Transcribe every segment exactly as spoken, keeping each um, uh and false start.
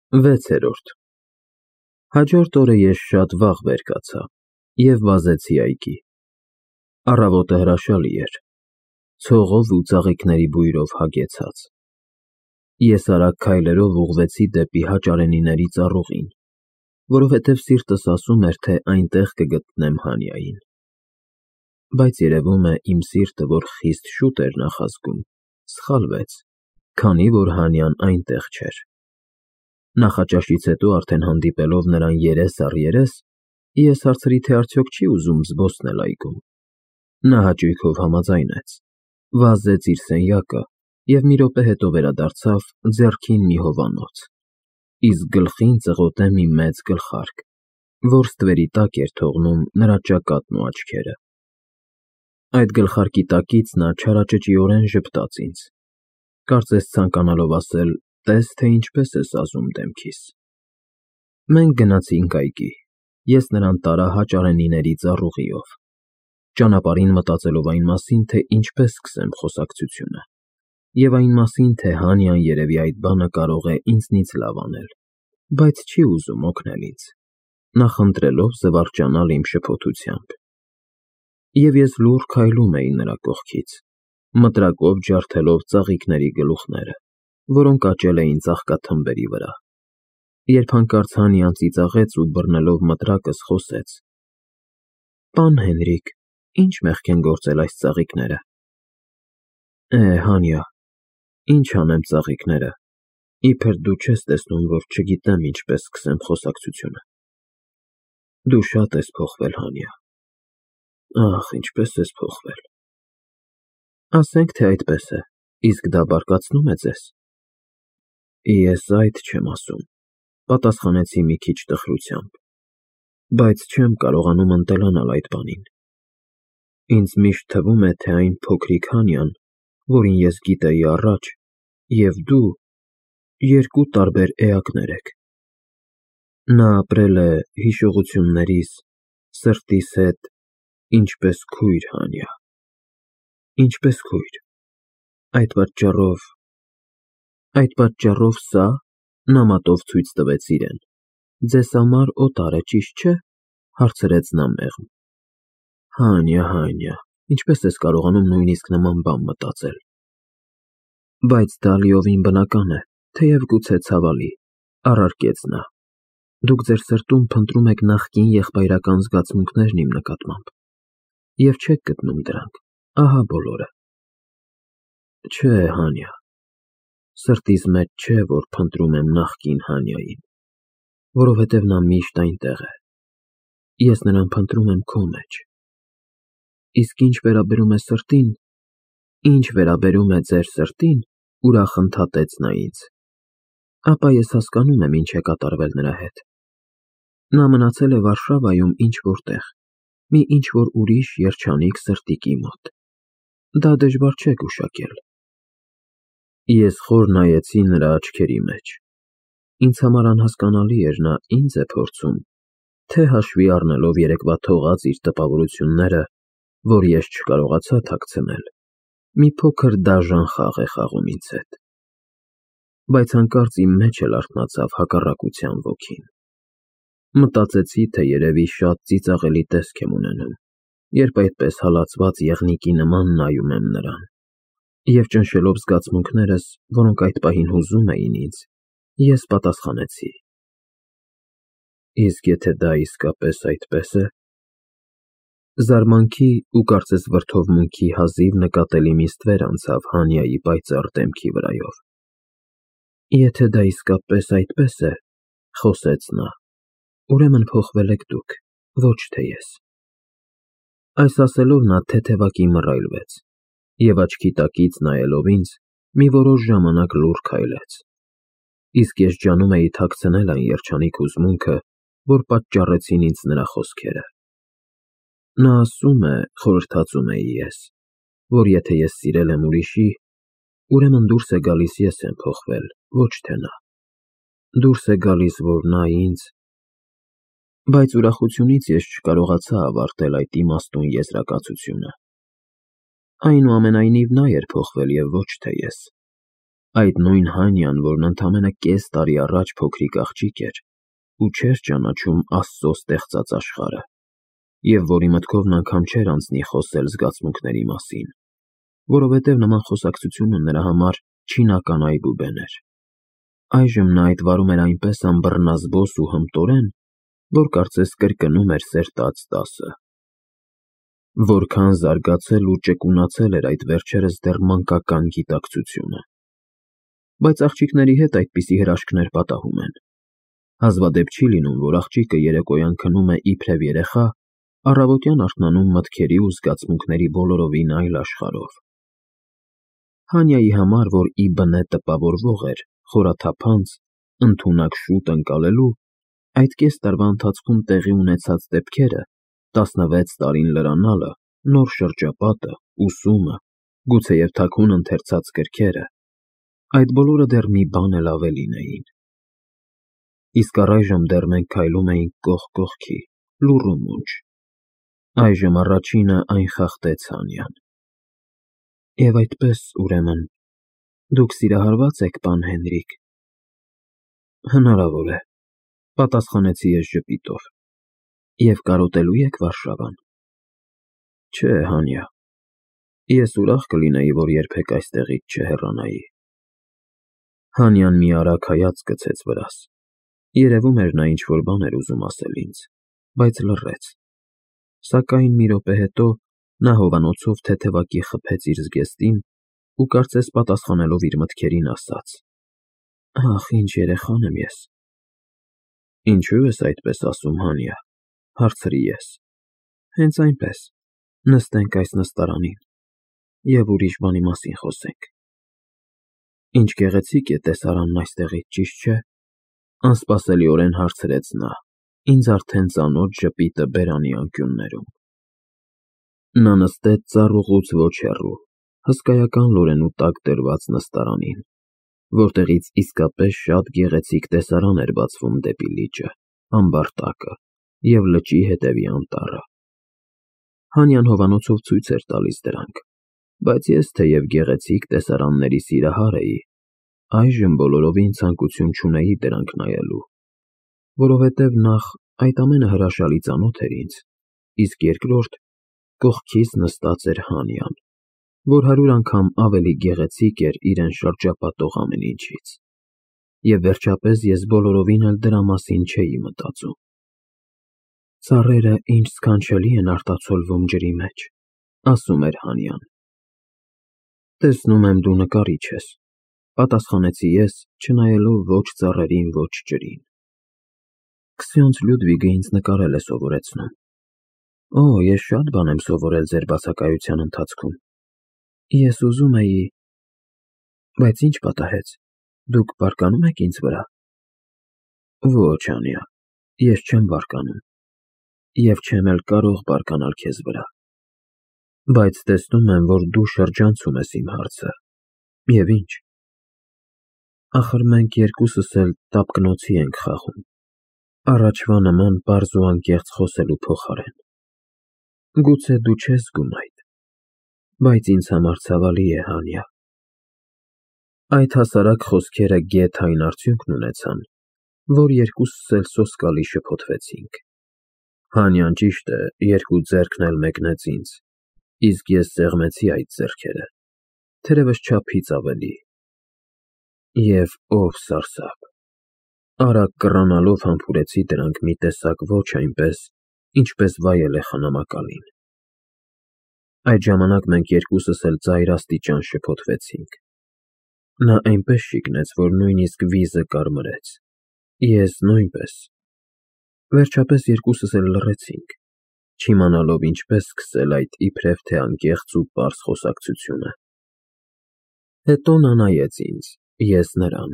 վեցերորդ Հաջորդ օրը ես շատ վաղ վեր կացա և վազեցի այգի։ Առավոտը հրաշալի էր, ցողով ու ծաղիկների բույրով հագեցած։ Ես արագ քայլերով ուղղվեցի դեպի հաճարենիների ծառուղին, որովհետև սիրտս ասում էր, թե այնտեղ կգտնեմ Հանիային։ Բայց երևում է, իմ սիրտը, որ խիստ շուտ էր նախազգում, սխալվեց, քանի որ Հանյան այնտեղ չէր։ Նախաճաշից հետո արդեն հանդիպելով նրան երես առ երես, ես հարցրի, թե արդյոք չի ուզում զբոսնել այգում։ Նա հաճույքով համաձայնեց, վազեց իր սենյակը և մի րոպե հետո վերադարձավ ձեռքին մի հովանոց, իսկ գլխին ծղոտե մի մեծ գլխարկ, որ ստվերի տակ էր թողնում նրա ճակատն ու աչքերը։ Այդ գլխարկի տակից նա չարաճճիորեն ժպտաց ինձ, կարծես ցանկանալով ասել. «Տես, թե ինչպես ես ազում դեմքիս»։ Մենք գնացինք այգի, ես նրան տարա հաճարենիների ծառուղիով, ճանապարհին մտածելով այն մասին, թե ինչպես սկսեմ խոսակցությունը, և այն մասին, թե Հանյան երևի այդ բանը կարող է ինձնից լավ անել, բայց չի ուզում օգնել ինձ, նախընտրելով զվարճանալ իմ շփոթությամբ։ Եվ ես լուռ քայլում էի նրա կողքից, մտրակով ջարդելով ծաղիկների գլուխները, որոնք աճել էին ծաղկաթմբերի վրա, երբ հանկարծ Հանյան ծիծաղեց ու բռնելով մտրակս խոսեց. «Պան Հենրիկ, ի՞նչ մեղք են գործել այս ծաղիկները»։ Է, Հանյա, ինչ անեմ ծաղիկները, իբր դու չես տեսնում, որ չգիտեմ ինչպես սկսեմ խոսակցությունը։ Դու շատ ես փոխվել, Հանյա, ախ, ինչպես ես փոխվել։ Ասենք, թե այդպես է, իսկ դա բարկացնո՞ւմ է ձեզ։ Ես այդ չեմ ասում, պատասխանեցի մի քիչ տխրությամբ, բայց չեմ կարողանում ընտելանալ այդ բանին։ Ինձ միշտ թվում է, թե այն փոքրիկ Հանյան, որին ես գիտեի առաջ, և դու երկու տարբեր էակներ եք։ Նա ապրել է հիշողություններիս, սրտիս հետ, ինչպես քույր, Հանյա, ինչպես քույր։ Այդ պատճառով… Այդ պատճառով սա (նա մատով ցույց տվեց իրեն) ձեզ համար օտար է, ճիշտ չէ, հարցրեց նա մեղմ։ Հանյա, Հանյա, ինչպես ես կարողանում նույնիսկ նման բան մտածել։ Բայց դա լիովին բնական է, թեև գուցե ցավալի, առարկեց նա։ Դուք ձեր սրտում փնտրում եք նախկին եղբայրական զգացմունքներն իմ նկատմամբ և չեք գտնում դրանք, ահա բոլորը։ Չէ, Հանյա, սրտիս մեջ չէ, որ փնտրում եմ նախկին Հանյային, որովհետև նա միշտ այնտեղ է։ Ես նրան փնտրում եմ քո մեջ։ Իսկ ինչ վերաբերում է սրտին, ինչ վերաբերում է ձեր սրտին, ուրախ ընդհատեց նա ինձ, ապա ես հասկանում եմ ինչ է կատարվել նրա հետ։ Նա մնացել է Վարշավայում ինչ֊որ տեղ, մի ինչ-որ ուրիշ երջանիկ սրտիկի մոտ։ Դա դժվար չէ գուշակել։ Ես խոր նայեցի նրա աչքերի մեջ։ Ինձ համար անհասկանալի էր նա ինձ է փորձում, թե հաշվի առնելով երեկվա թողած իր տպավորությունները, որ ես չկարողացա թաքցնել, մի փոքր դաժան խաղ է խաղում ինձ հետ։ Բայց հանկարծ իմ մեջ էլ արթնացավ հակառակության ոգին։ Մտածեցի, թե երևի շատ ծիծաղելի տեսք եմ ունենում, երբ այդպես հալածված եղնիկի նման նայում եմ նրան, և ճնշելով զգացմունքներս, որոնք այդ պահին հուզում էին ինձ, ես պատասխանեցի. Իսկ եթե դա իսկապես այդպես է… Զարմանքի ու կարծես վրդովմունքի հազիվ նկատելի մի ստվեր անցավ Հանյայի պայծառ դեմքի վրայով։ Եթե դա իսկապես այդպես է, խոսեց նա, ուրեմն փոխվել եք դուք, ոչ թե ես։ Այս ասելով նա թեթևակի մռայլվեց և աչքի տակից նայելով ինձ, մի որոշ ժամանակ լուռ քայլեց, իսկ ես ջանում էի թաքցնել այն երջանիկ հուզմունքը, որ պատճառեցին ինձ նրա խոսքերը։ Նա ասում է, խորհրդածում էի ես, որ եթե ես սիրել եմ ուրիշի, ուրեմն դուրս է գալիս ես եմ փոխվել, ոչ թե նա։ Դուրս է գալիս, որ նա ինձ… Բայց ուրախությունից ես չկարողացա ավարտել այդ իմաստուն եզրակացությունը։ Այնուամենայնիվ նա էր փոխվել և ոչ թե ես։ Այդ նույն Հանյան, որն ընդամենը կես տարի առաջ փոքրիկ աղջիկ էր ու չէր ճանաչում Աստծո ստեղծած աշխարհը, և որի մտքովն անգամ չէր անցնի խոսել զգացմունքների մասին, որովհետև նման խոսակցությունը նրա համար չինական այբուբեն էր։ Այժմ նա այդ վարում էր այնպես անբռնազբոս ու հմտորեն, որ կարծես կրկնում էր սերտած դասը։ Որքան զարգացել ու ճկունացել էր այդ վերջերս դեռ մանկական գիտակցությունը։ Բայց աղջիկների հետ այդպիսի հրաշքներ պատահում են։ Հազվադեպ չի լինում, որ աղջիկը երեկոյան քնում է իբրև երեխա, առավոտյան արթնանում մտքերի ու զգացմունքների բոլորովին այլ աշխարհով։ Հանյայի համար, որ ի բնե տպավորվող էր, խորաթափանց, ընդունակ շուտ ընկալելու, այդ կես տարվա ընթացքում տեղի ունեցած դեպքերը, տասնվեց տարին լրանալը, նոր շրջապատը, ուսումը, գուցեև թաքուն ընթերցած գրքերը, այդ բոլորը դեռ մի բան էլ ավելին էին։ Իսկ առայժմ դեռ մենք քայլում էինք կողք կողքի, լուռ ու մունջ։ Այժմ առաջինը այն խախտեց Հանյան։ Եվ այդպես, ուրեմն, դուք սիրահարվա՞ծ եք, պան Հենրիկ։ Հնարավոր է, պատասխանեցի ես ժպիտով։ Եվ կարոտելու եք Վարշավան։ Չէ, Հանյա, ես ուրախ կլինեի, որ երբեք այստեղից չհեռանայի։ Հանյան մի արագ հայացք գցեց վրաս։ Երևում էր նա ինչ-որ բան էր ուզում ասել ինձ, բայց լռեց։ Սակայն մի րոպե հետո նա հովանոցով թեթևակի խփեց իր զգեստին ու կարծես պատասխանելով իր մտքերին ասաց. Ախ, ինչ երեխան եմ ես։ Ինչու ես այդպես ասում, Հանյա, հարցրի ես։ Հենց այնպես, նստենք այս նստարանին և ուրիշ բանի մասին խոսենք։ Ինչ գեղեցիկ է տեսարանն այստեղից, ճիշտ չէ։ Անսպասելիորեն հարցրեց նա, ինձ արդեն ծանոթ ժպիտը բերանի անկյուններում։ Նա նստեց ծառուղուց ոչ հեռու, հսկայական լորենու տակ դրված նստարանին, որտեղից իսկապես շատ գեղեցիկ տեսարան էր բացվում դեպի լիճը, ամբարտակը և լճի հետևի անտառը։ Հանյան հովանոցով ցույց էր տալիս դրանք, բայց ես, թեև գեղեցիկ տեսարանների սիրահար էի, այժմ բոլորովին ցանկություն չունեի դրանք նայելու, որովհետև նախ այդ ամենը հրաշալի ծանոթ էր ինձ, իսկ երկրորդ կողքիս նստած էր Հանյան, որ հարյուր անգամ ավելի գեղեցիկ էր իրեն շրջապատող ամեն ինչից, և վերջապես ես բոլորովին էլ դրա մասին չէի մտածում։ Ծառերը ինչ սքանչելի են արտացոլվում ջրի մեջ, ասում էր Հանյան։ Տեսնում եմ, դու նկարիչ ես, պատասխանեցի ես, չնայելով ոչ ծառերին, ոչ ջրին։ Քսյոնց Լյուդվիգը ինձ նկարել է սովորեցնում։ Օ, ես շատ բան եմ սովորել ձեր բացակայության ընթացքում։ Ես ուզում էի… Բայց ինչ պատահեց, դուք բարկանում եք ինձ վրա։ Ոչ, Հանյա, ես չեմ բարկանում, և չեմ էլ կարող բարկանալ քեզ վրա։ Բայց տեսնում եմ, որ դու շրջանցում ես իմ հարցը, և ինչ։ Ախր մենք երկուսս էլ տապկնոցի ենք խաղում, առաջվա նման պարզ ու անկեղծ խոսելու փոխարեն։ Գուցե դու չես զգում այդ, բայց ինձ համար ցավալի է, Հանյա։ Այդ հասարակ խոսքերը գեթ այն արդյունքն ունեցան, որ երկուսս էլ սոսկալի շփոթվեցինք։ Հանյան, ճիշտ է, երկու ձեռքն էլ մեկնեց ինձ, իսկ ես սեղմեցի այդ ձեռքերը, թերևս չափից ավելի։ Եվ ով սարսափ, արագ կռանալով համբուրեցի դրանք մի տեսակ ոչ այնպես, ինչպես վայել է խնամակալին։ Այդ ժամանակ մենք երկուսս էլ ծայր աստիճան շփոթվեցինք։ Նա այնպես շիկնեց, որ նույնիսկ վիզը կարմրեց, ես նույնպես։ Վերջապես երկուսս էլ լռեցինք, չիմանալով ինչպես սկսել այդ իբրև թե անկեղծ ու պարզ խոսակցությունը։ Հետո նա նայեց ինձ, ես նրան,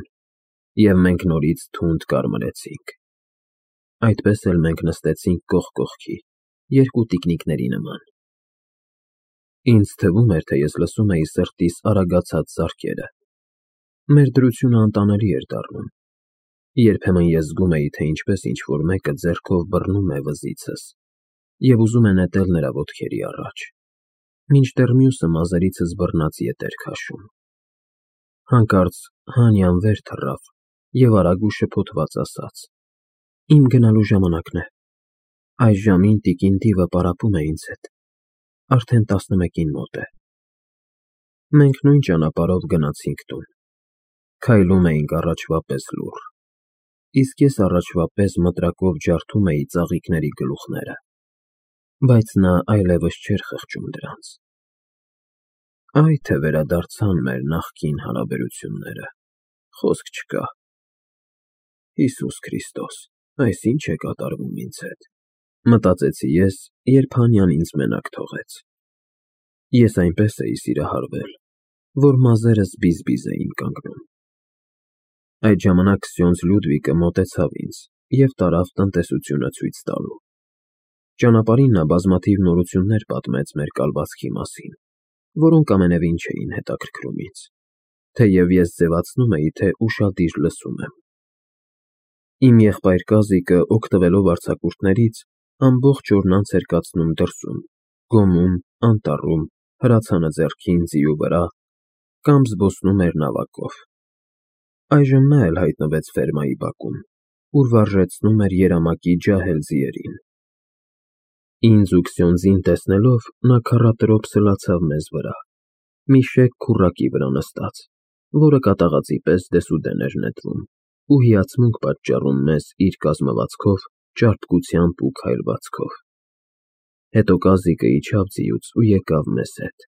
և մենք նորից թունդ կարմրեցինք։ Այդպես էլ մենք նստեցինք կողք կողքի, երկու տիկնիկների նման։ Ինձ թվում էր, թե ես լսում էի սրտիս արագացած զարկերը։ Մեր դրությունը անտանելի էր դառնում։ Երբեմն ես զգում էի, թե ինչպես ինչ-որ մեկը ձեռքով բռնում է վզիցս և ուզում է նետել նրա ոտքերի առաջ, մինչդեռ մյուսը մազերիցս բռնած ետ էր քաշում։ Հանկարծ Հանյան վեր թռավ և արագ ու շփոթված ասաց. Իմ գնալու ժամանակն է, այս ժամին տիկին Դիվը պարապում է ինձ հետ, արդեն տասնմեկին մոտ է։ Մենք նույն ճանապարհով գնացինք տուն, քայլում էինք առաջվա պես լուռ, իսկ ես առաջվա պես մտրակով ջարդում էի ծաղիկների գլուխները, բայց նա այլևս չէր խղճում դրանց։ Այ թե վերադարձան մեր նախկին հարաբերությունները, խոսք չկա։ Հիսուս Քրիստոս, այս ի՞նչ է կատարվում ինձ հետ, մտածեցի ես, երբ Հանյան ինձ մենակ թողեց։ Ես այնպես էի սիրահարվել, որ մազերս բիզ-բիզ էին կանգնում։ Այդ ժամանակ Սյոնձ Լյուդվիգը մոտեցավ ինձ և տարավ տնտեսությունը ցույց տալու։ Ճանապարհին նա բազմաթիվ նորություններ պատմեց մեր կալվածքի մասին, որոնք ամենևին չէին հետաքրքրում ինձ, թեև ես ձևացնում էի, թե ուշադիր լսում եմ։ Իմ եղբայր Կազիկը, օգտվելով արձակուրդներից, ամբողջ օրն անց էր կացնում դրսում, գոմում, անտառում, հրացանը ձեռքին, ձիու վրա, կամ զբոսնում էր նավակով։ Այժմ նա էլ հայտնվեց ֆերմայի բակում, ուր վարժեցնում էր երամակի ջահել ձիերին։ Ինձ ու Քսյոնդզին տեսնելով, նա քառատրոփ սլացավ մեզ վրա, մի շեկ քուռակի վրա նստած, որը կատաղածի պես դեսուդեն էր նետվում, ու հիացմունք պատճառում մեզ իր կազմվածքով, ճարպկությամբ ու քայլվածքով։ Հետո Կազիկը իջավ ձիուց ու եկավ մեզ հետ։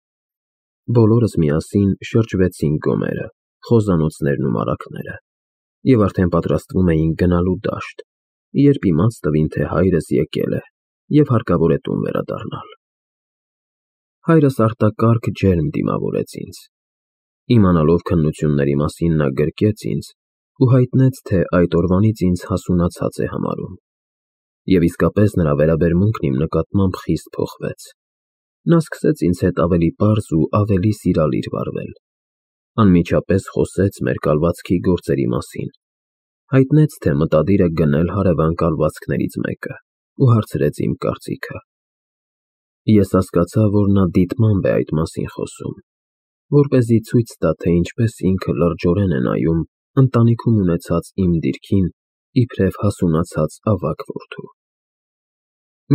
Բոլորս միասին շրջվեցինք գոմերը, խոզանոցներն ու մարագները, և արդեն պատրաստվում էինք գնալու դաշտ, երբ իմաց տվին, թե հայրս եկել է և հարկավոր է տուն վերադառնալ։ Հայրս արտակարգ ջերմ դիմավորեց ինձ։ Իմանալով քննությունների մասին, նա գրկեց ինձ ու հայտնեց, թե այդ օրվանից ինձ հասունացած է համարում։ Եվ իսկապես նրա վերաբերմունքն իմ նկատմամբ խիստ փոխվեց։ Նա սկսեց ինձ հետ ավելի պարզ ու ավելի սիրալիր վարվել, անմիջապես խոսեց մեր կալվածքի գործերի մասին, հայտնեց, թե մտադիր է գնել հարևան կալվածքներից մեկը ու հարցրեց իմ կարծիքը։ Ես հասկացա, որ նա դիտմամբ է այդ մասին խոսում, որպեսզի ցույց տա, թե ինչպես ինքը լրջորեն է նայում ընտանիքում ունեցած իմ դիրքին իբրև հասունացած ավագ որդու։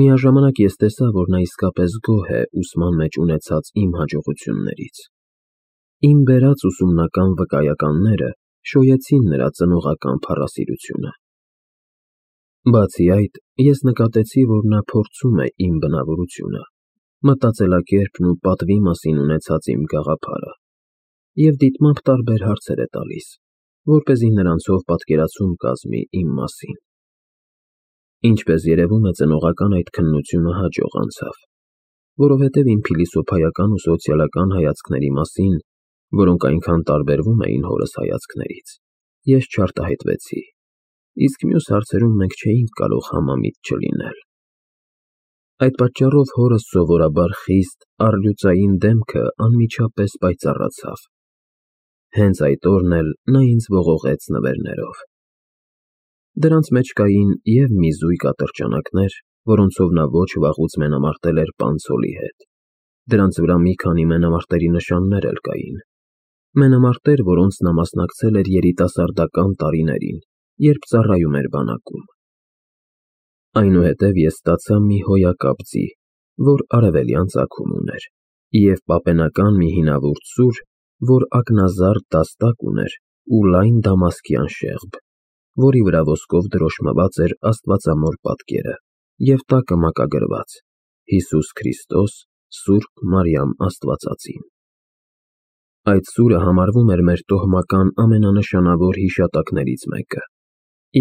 Միաժամանակ ես տեսա, որ նա իսկապես գոհ է ուսման մեջ ունեցած իմ հաջողություններից։ Իմ բերած ուսումնական վկայականները շոյեցին նրա ծնողական փառասիրությունը։ Բացի այդ, ես նկատեցի, որ նա փորձում է իմ բնավորությունը, մտածելակերպն ու պատվի մասին ունեցած իմ գաղափարը, և դիտմամբ տարբեր հարցեր է տալիս, որպեսզի նրանցով պատկերացում կազմի իմ մասին։ Ինչպես երևում է, ծնողական այդ քննությունը հաջող անցավ, որովհետև իմ փիլիսոփայական ու սոցիալական հայացքների մասին, որոնք այնքան տարբերվում էին հորս հայացքներից, ես չարտահայտվեցի, իսկ մյուս հարցերում մենք չէինք կարող համամիտ չլինել։ Այդ պատճառով հորս սովորաբար խիստ, առլյուծային դեմքը անմիջապես պայծառացավ։ Հենց այդ օրն էլ նա ինձ ողողեց նվերներով։ Դրանց մեջ կային և մի զույգ ատրճանակներ, որոնցով նա ոչ վաղուց մենամարտել էր պանցոլի հետ, դրանց վրա մի քանի մենամարտերի նշաններ էլ կային, մենամարտեր, որոնց նա մասնակցել էր երիտասարդական տարիներին, երբ ծառայում էր բանակում։ Այնուհետև ես ստացա մի հոյակապ ձի, որ արևելյան ծագում ուներ, և պապենական մի հինավուրց սուր, որ ակնազարդ դաստակ ուներ ու լայն դամասկյան շեղբ, որի վրա ոսկով դրոշմված էր աստվածամոր պատկերը և տակը մակագրված Հիսուս Քրիստոս, Սուրբ Մարիամ Աստվածածին։ Այդ սուրը համարվում էր մեր տոհմական ամենանշանավոր հիշատակներից մեկը,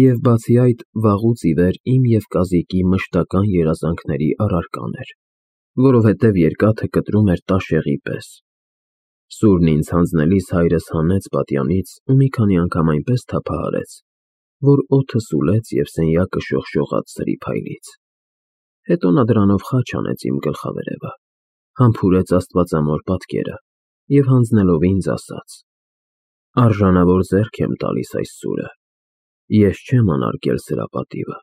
և բացի այդ, վաղուց ի վեր իմ և Կազիկի մշտական երազանքների առարկան էր, որովհետև երկաթը կտրում էր տաշեղի պես։ Սուրն ինձ հանձնելիս հայրս հանեց պատյանից ու մի քանի անգամ այնպես թափահարեց, որ օդը սուլեց և սենյակը շողշողաց սրի փայլից։ Հետո նա դրանով խաչ հանեց իմ գլխավերևը, համբուրեց աստվածամոր պատկերը և հանձնելով ինձ ասաց. «Արժանավոր ձեռք եմ տալիս այս սուրը, ես չեմ անարգել սրա պատիվը,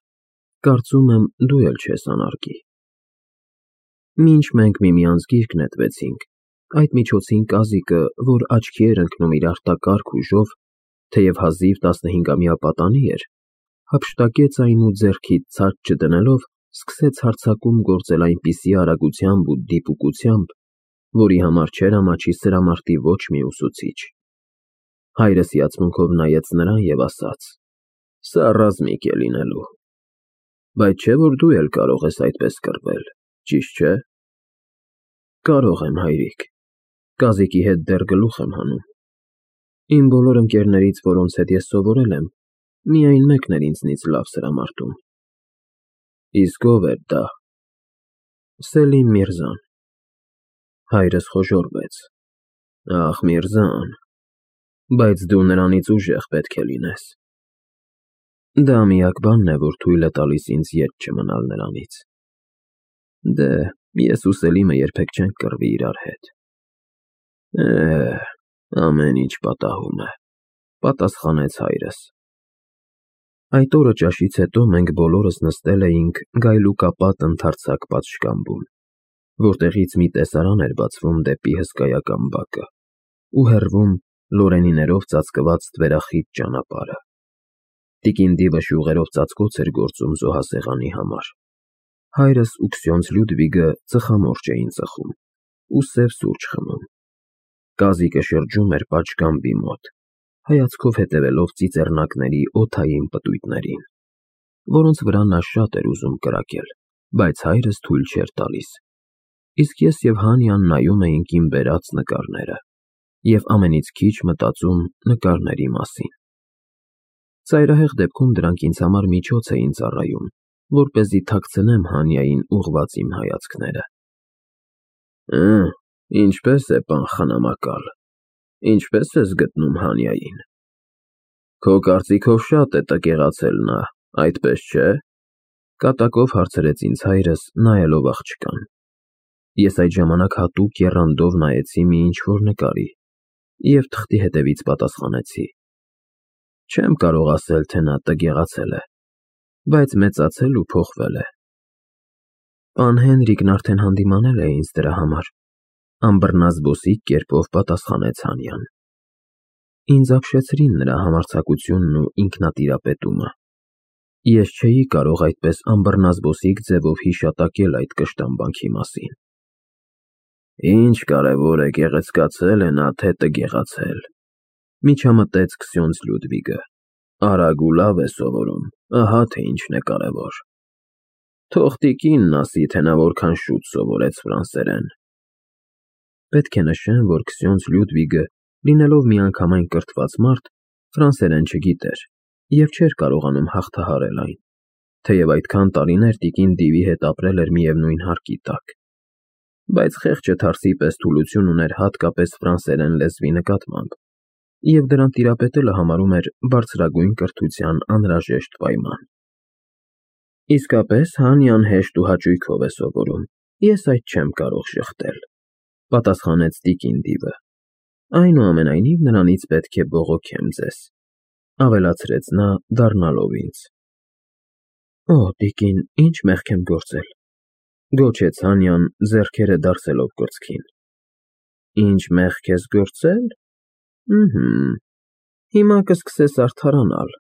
կարծում եմ դու էլ չես անարգի»։ Մինչ մենք միմյանց գիրկ նետվեցինք, այդ միջոցին Կազիկը, որ աչքի էր ընկնում իր արտակարգ ուժով, թեև հազիվ տասնհինգամյա պատանի էր, հափշտակեց այն ու ձեռքից ցած չդնելով սկսեց հարձակում գործել այնպիսի արագությամբ ու դիպուկությամբ, որի համար չէր ամաչի սրամարտի ոչ մի ուսուցիչ։ Հայրս հիացմունքով նայեց նրան և ասաց. «Սա ռազմիկ է լինելու, բայց չէ՞ որ դու էլ կարող ես այդպես կռվել, ճիշտ չէ»։ Կարող եմ, հայրիկ, կազիկի հետ դեռ գլուխ եմ հանում։ Իմ բոլոր ընկերներից, որոնց հետ ես սովորել եմ, միայն մեկն էր ինձնից լավ սրամարտում։ Իսկ ո՞վ էր դա։ Սելիմ Միրզան։ Հայրս խոժոռվեց։ Ախ, Միրզան, բայց դու նրանից ուժեղ պետք է լինես։ Դա միակ բանն է, որ թույլ է տալիս ինձ ետ չմնալ նրանից։ Դե, ես ու Սելիմը երբեք չենք կռվի իրար հետ։ Է, ամեն ինչ պատահում է, պատասխանեց հայրս։ Այդ օրը ճաշից հետո մենք բոլորս նստել էինք գայլուկապատ ընդարձակ պատշգամբում, որտեղից մի տեսարան էր բացվում դեպի հսկայական բակը, ու հեռվում լորենիներով ծածկված ստվերախիտ ճանապարհը։ Տիկին Դիվը շյուղերով ծածկոց էր գործում զոհասեղանի համար։ Հայրս ու Քսյոնց Լյուդվիգը ծխամորճ էին ծխում ու սև սուրճ խմում։ Կազիկը շրջում էր պատշգամբի մոտ, հայացքով հետևելով ծիծեռնակների օդային պտույտներին, որոնց վրա նա շատ էր ուզում կրակել, բայց հայրս թույլ չէր տալիս։ Իսկ ես և Հանյան նայում էինք իմ բերած նկարները և ամենից քիչ մտածում նկարների մասին։ Ծայրահեղ դեպքում դրանք ինձ համար միջոց էին ծառայում, որպեսզի թաքցնեմ Հանյային ուղղված իմ հայացքները։ Ը, ինչպե՞ս է, պան խնամակալ, ինչպե՞ս ես գտնում Հանյային։ Քո կարծիքով շատ է տգեղացել նա, այդպես չէ՞։ Կատակով հարցրեց ինձ հայրս, նայելով աղջկան։ Ես այդ ժամանակ հատուկ եռանդով նայեցի մի ինչ-որ նկարի և թղթի հետևից պատասխանեցի. Չեմ կարող ասել, թե նա տգեղացել է, բայց մեծացել ու փոխվել է։ Պան Հենրիկն արդեն հանդիմանել է ինձ դրա համար, անբռնազբոսիկ կերպով պատասխանեց Հանյան։ Ինձ ապշեցրին նրա համարձակությունն ու ինքնատիրապետումը։ Ես չէի կարող այդպես անբռնազբոսիկ ձևով հիշատակել այդ կշտամբանքի մասին։ Ինչ կարևոր է, գեղեցկացել է նա, թե տգեղացել, միջամտեց Քսյոնց Լյուդվիգը։ Արագ ու լավ է սովորում, ահա թե ինչն է կարևոր։ Թող տիկինն ասի, թե նա որքան շուտ սովորեց ֆրանսերեն։ Պետք է նշեմ, որ Քսյոնց Լյուդվիգը, լինելով միանգամայն կրթված մարդ, ֆրանսերեն չգիտեր և չէր կարողանում հաղթահարել այն, թեև այդքան տարիներ տիկին Դիվի հետ ապրել էր միևնույն հարկի տակ, բայց խեղճը թարսի պես թուլություն ուներ հատկապես ֆրանսերեն լեզվի նկատմամբ, և դրան տիրապետելը համարում էր բարձրագույն կրթության անհրաժեշտ պայման։ Իսկապես, Հանյան հեշտ ու հաճույքով է սովորում, ես այդ չեմ կարող շղթել, պատասխանեց տիկին Դիվը։ Այնուամենայնիվ նրանից պետք է բողոքեմ ձեզ, ավելացրեց նա, դառնալով ինձ։ Օ, տիկին, ինչ մեղք եմ գործել, գոչեց Հանյան, ձեռքերը դարսելով կրծքին։ Ինչ մեղք ես գործել։ Ըհը, հիմա կսկսես արդարանալ,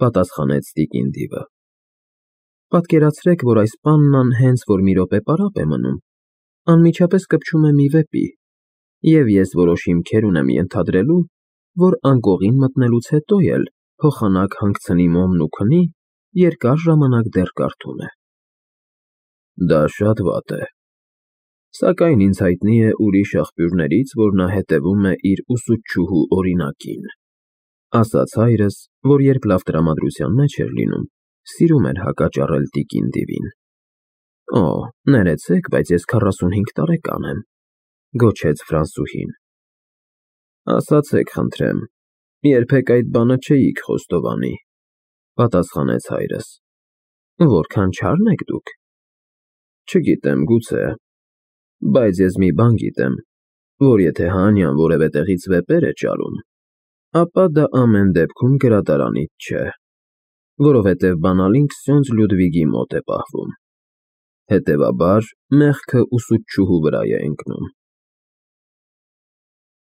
պատասխանեց տիկին Դիվը։ Պատկերացրեք, որ այս պաննան հենց որ մի րոպե պարապ է մնում, անմիջապես կպչում է մի վեպի, և ես որոշ հիմքեր ունեմ ենթադրելու, որ անկողին մտնելուց հետո էլ փոխանակ հանգցնի մոմն ու քնի, երկար ժամանակ դեռ կարդում է։ Դա շատ վատ է։ Սակայն ինձ հայտնի է ուրիշ աղբյուրներից, որ նա հետևում է իր ուսուցչուհու օրինակին, ասաց հայրս, որ երբ լավ տրամադրության մեջ էր լինում, սիրում էր հակաճառել տիկին Դիվին։ Օ, ներեցեք, բայց ես քառասունհինգ տարեկան եմ, գոչեց ֆրանսուհին։ Ասացեք, խնդրեմ, երբեք այդ բանը չէիք խոստովանի, պատասխանեց հայրս։ Որքան չարն եք դուք։ Չգիտեմ, գուցե, բայց ես մի բան գիտեմ, որ եթե Հանյան որևէ տեղից վեպեր է ճարում, ապա դա ամեն դեպքում գրադարանից չէ, որովհետև բանալին Քսյոնց Լյուդվիգի մոտ է պահվում։ Հետևաբար, մեղքը ուսուցչուհու վրա է ընկնում։